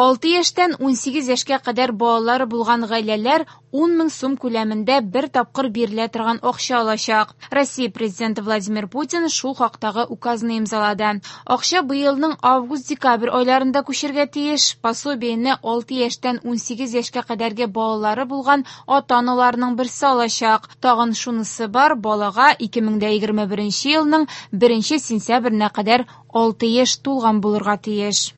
6 яшьтән 18 яшькә кадәр балалары булган гаиләләр 10 мең сум күләмендә бер тапкыр бирелә торган акча алачак. Россия Президенты Владимир Путин шул хактагы указны имзалады. Акча быелның август-декабрь айларында күчергә тиеш. Пособиене 6 яшьтән 18 яшькә кадәрге балалары булган ата-аналарның берсе алачак. Тагын шунысы бар, балага 2021 елның 1 сентябренә кадәр 6 яшь тулган булырга тиеш.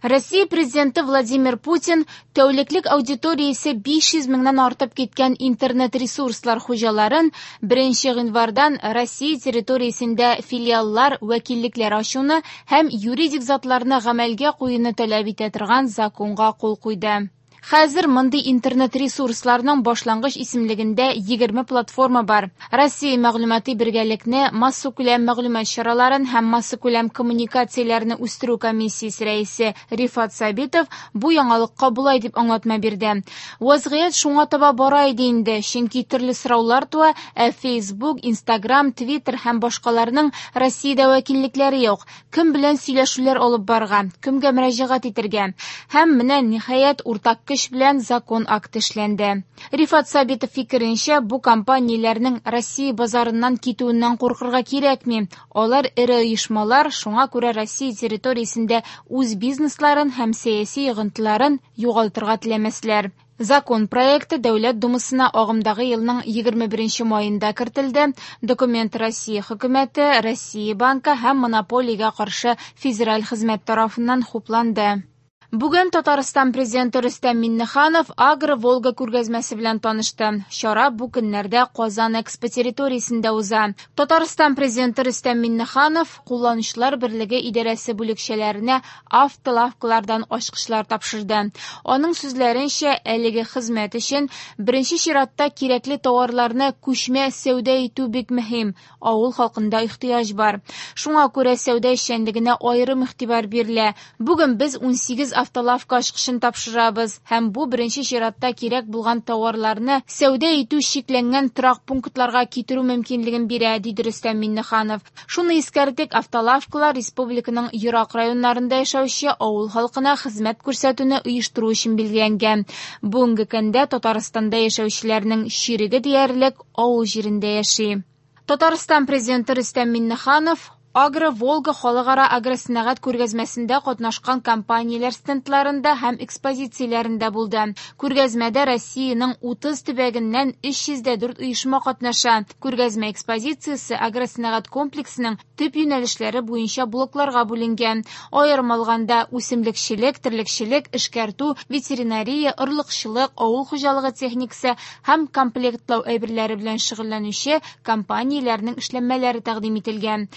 Россия Президенты Владимир Путин тәүлеклек аудиториясе 500 меңнән артып киткән интернет-ресурслар хуҗаларын 1 гыйнвардан Россия территориясендә филиаллар, вәкиллекләр ачуны һәм юридик затларны гамәлгә куюны таләп итә торган законга кул куйды. Хәзер мондый интернет-ресурсларның башлангыч исемлегендә 20 платформа бар. Россия мәгълүмати бергәлекне, массакүләм мәгълүмат чараларын һәм массакүләм коммуникацияләрне үстерү комиссиясе рәисе Рифат Сабитов бу яңалыкка болай дип аңлатма бирде. Вазгыять шуңа таба бара иде инде, чөнки төрле сораулар туа, ә Facebook, Instagram, Twitter һәм башкаларның Россиядә вәкиллекләре юк. Кем белән сөйләшүләр алып барырга, кемгә мөрәҗәгать итәргә? Һәм менә ниһаять уртак көч белән закон акты эшләнде. Рифат Сабитов фикеренчә, бу компанияләрнең Россия базарыннан китүеннән куркырга кирәкми. Алар эре оешмалар, шуңа күрә Россия территориясендә үз бизнесларын һәм сәяси йогынтыларын югалтырга теләмәсләр. Закон проекты Дәүләт Думасына агымдагы елның 21 маенда кертелде. Документ Россия хөкүмәте, Россия банкы һәм монополиягә каршы федераль хезмәт тарафыннан хупланды. Бүген Татарстан президенты Рөстәм Миңнеханов Агро-Волга күргәзмәсе белән танышты. Чара бу көннәрдә Казан Экспо территориясендә уза. Татарстан президенты Рөстәм Миңнеханов Кулланучылар берлеге идарәсе бүлекчәләренә автолавкалардан ачкычлар тапшырды. Аның сүзләренчә, әлеге хезмәт өчен беренче чиратта кирәкле товарларны күчмә сәүдә итү бик мөһим. Авыл халкында ихтыяҗ бар. Шуңа күрә сәүдә эшчәнлегенә аерым игътибар бирелә. Бүген без 18 автолавка ачкычын тапшырабыз һәм бу беренче чиратта кирәк булган товарларны сәүдә итү чикләнгән торак пунктларга китерү мөмкинлеген бирә, диде Рөстәм Миңнеханов. Шуны искәртик, автолавкалар республиканың ерак районнарында яшәүче авыл халкына хезмәт күрсәтүне оештыру өчен билгеләнгән. Бүгенге көндә Татарстанда яшәүчеләрнең чиреге диярлек авыл җирендә яши. Татарстан президенты Рөстәм Миңнеханов Агро-Волга халыкара агросәнәгать күргәзмәсендә катнашкан компанияләр стендларында һәм экспозицияләрендә булды. Күргәзмәдә Россиянең 30 төбәгеннән 304 оешма катнаша. Күргәзмә экспозициясе агросәнәгать комплексының төп юнәлешләре буенча блокларга бүленгән. Аерым алганда, үсемлекчелек, терлекчелек, эшкәртү, ветеринария, орлыкчылык, авыл хуҗалыгы техникасы һәм комплектлау әйберләре белән шөгыльләнүче компанияләрнең эшләнмәләре тәкъдим ителгән.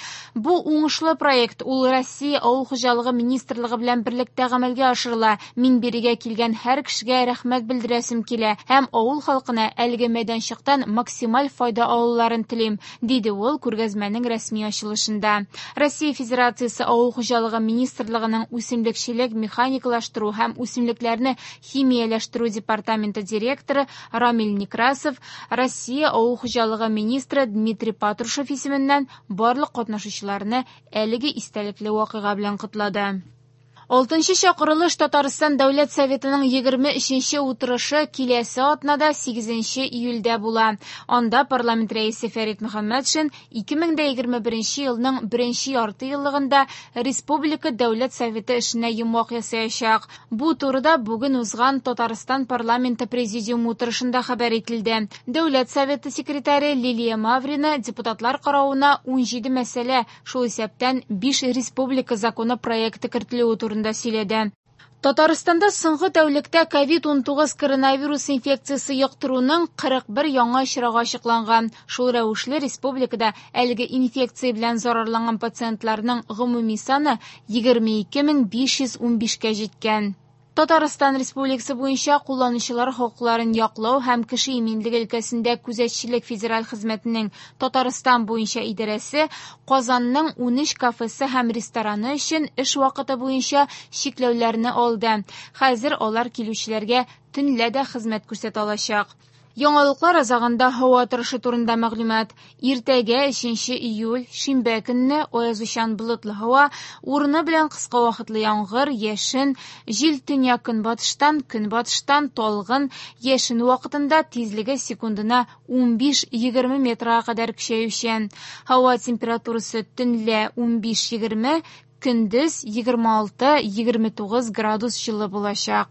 Бу уңышлы проект, ул Россия авыл хуҗалыгы министрлыгы белән берлектә гамәлгә ашырыла. Мин бирегә килгән һәр кешегә рәхмәт белдерәсем килә һәм авыл халкына әлеге мәйданчыктан максималь файда алуларын телим, диде ул күргәзмәнең рәсми ачылышында. Россия Федерациясе авыл хуҗалыгы министрлыгының үсемлекчелек, механикалаштыру һәм үсемлекләрне химияләштерү департаменты директоры Рамиль Некрасов Россия авыл хуҗалыгы министры Дмитрий Патрушев исеменнән барлык катнашучыларны әлеге истәлекле вакыйга белән котлады. Алтынчы чакырылыш Татарстан Дәүләт Советының 23-нче утырышы киләсе атнада 8 июльдә була. Анда парламент рәисе Фәрит Мөхәммәтшин 2021 елның беренче ярты еллыгында Республика Дәүләт Советы эшенә йомгак ясаячак. Бу турыда бүген узган Татарстан парламенты президиумы утырышында хәбәр ителде. Дәүләт Советы секретаре Лилия Маврина депутатлар каравына 17 мәсьәлә, шул исәптән 5 республика законы проекты кертелүе турында сөйләде. Татарстанда соңгы тәүлектә ковид-19 коронавирус инфекциясе йоктыруның 41 яңа очрагы ачыкланган. Шул рәвешле республикада әлеге инфекция белән зарарланган пациентларның гомуми саны 22515-кә җиткән. Татарстан Республикасы буенча кулланучылар хокукларын яклау һәм кеше иминлеге өлкәсендә күзәтчелек федераль хезмәтенең Татарстан буенча идарәсе Казанның 13 кафесы һәм рестораны өчен эш вакыты буенча чикләүләрне алды. Хәзер алар килүчеләргә төнлә дә хезмәт күрсәтә алачак. Яңалыклар азагында һава торышы турында мәгълүмат. Иртәгә 3 июль, шимбә көнне аязучан болытлы һава, урыны белән кыска вакытлы яңгыр, яшен, җил төньяк-көнбатыштан, көнбатыштан талгын, яшен вакытында тизлеге секундына 15-20 метрга кадәр көчәючән. Һава температурасы төнлә 15-20, көндез 26-29 градус җылы булачак.